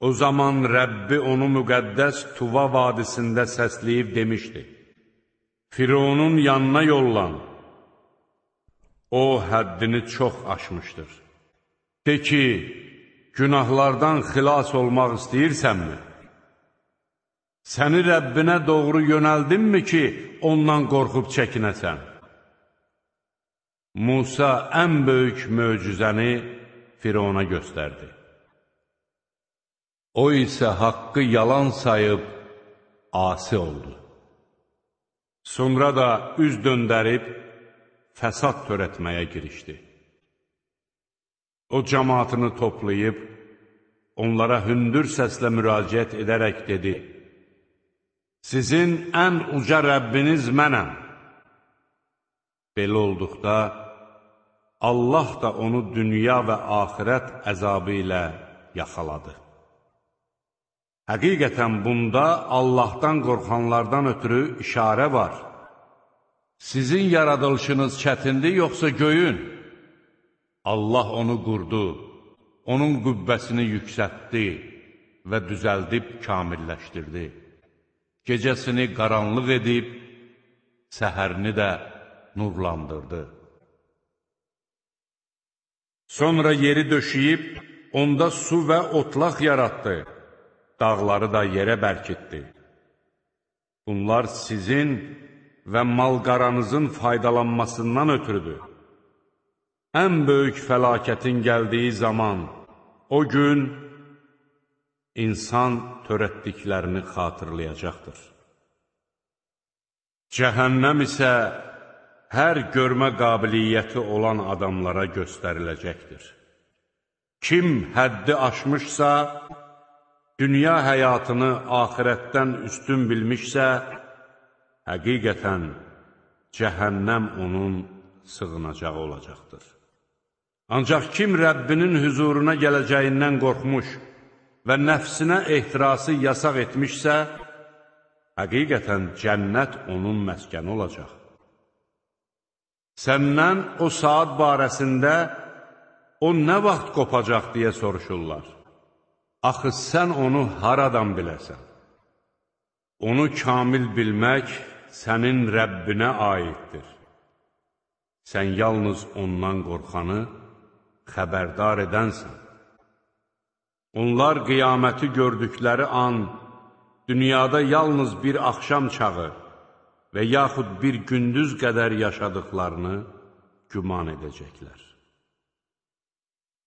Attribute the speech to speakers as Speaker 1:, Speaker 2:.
Speaker 1: O zaman Rəbbi onu müqəddəs Tuva vadisində səsləyib demişdi: Fironun yanına yollan, o həddini çox aşmışdır. De ki, günahlardan xilas olmaq istəyirsənmi? Səni Rəbbinə doğru yönəldinmi ki, ondan qorxub çəkinəsən? Musa ən böyük möcüzəni Firona göstərdi. O isə haqqı yalan sayıb asi oldu. Sonra da üz döndərib fəsad törətməyə girişdi. O cəmaatını toplayıb, onlara hündür səslə müraciət edərək dedi: Sizin ən uca Rəbbiniz mənəm. Belə olduqda, Allah da onu dünya və axirət əzabı ilə yaxaladı. Həqiqətən bunda Allahdan qorxanlardan ötürü işarə var. Sizin yaradılışınız çətindir, yoxsa göyün? Allah onu qurdu, onun qübbəsini yüksəltdi və düzəldib kamilləşdirdi. Gecəsini qaranlıq edib, səhərini də nurlandırdı. Sonra yeri döşəyib, onda su və otlaq yaratdı, dağları da yerə bərkitdi. Bunlar sizin və mal-qaranızın faydalanmasından ötürüdür. Ən böyük fəlakətin gəldiyi zaman, o gün insan törətdiklərini xatırlayacaqdır. Cəhənnəm isə hər görmə qabiliyyəti olan adamlara göstəriləcəkdir. Kim həddi aşmışsa, dünya həyatını axirətdən üstün bilmişsə, həqiqətən cəhənnəm onun sığınacağı olacaqdır. Ancaq kim Rəbbinin hüzuruna gələcəyindən qorxmuş və nəfsinə ehtirası yasaq etmişsə, həqiqətən cənnət onun məskəni olacaq. Səndən o saat barəsində o nə vaxt qopacaq deyə soruşurlar. Axı sən onu haradan biləsən? Onu kamil bilmək sənin Rəbbinə aiddir. Sən yalnız ondan qorxanı xəbərdar edənsən. Onlar qiyaməti gördükləri an, dünyada yalnız bir axşam çağı və yaxud bir gündüz qədər yaşadıqlarını güman edəcəklər.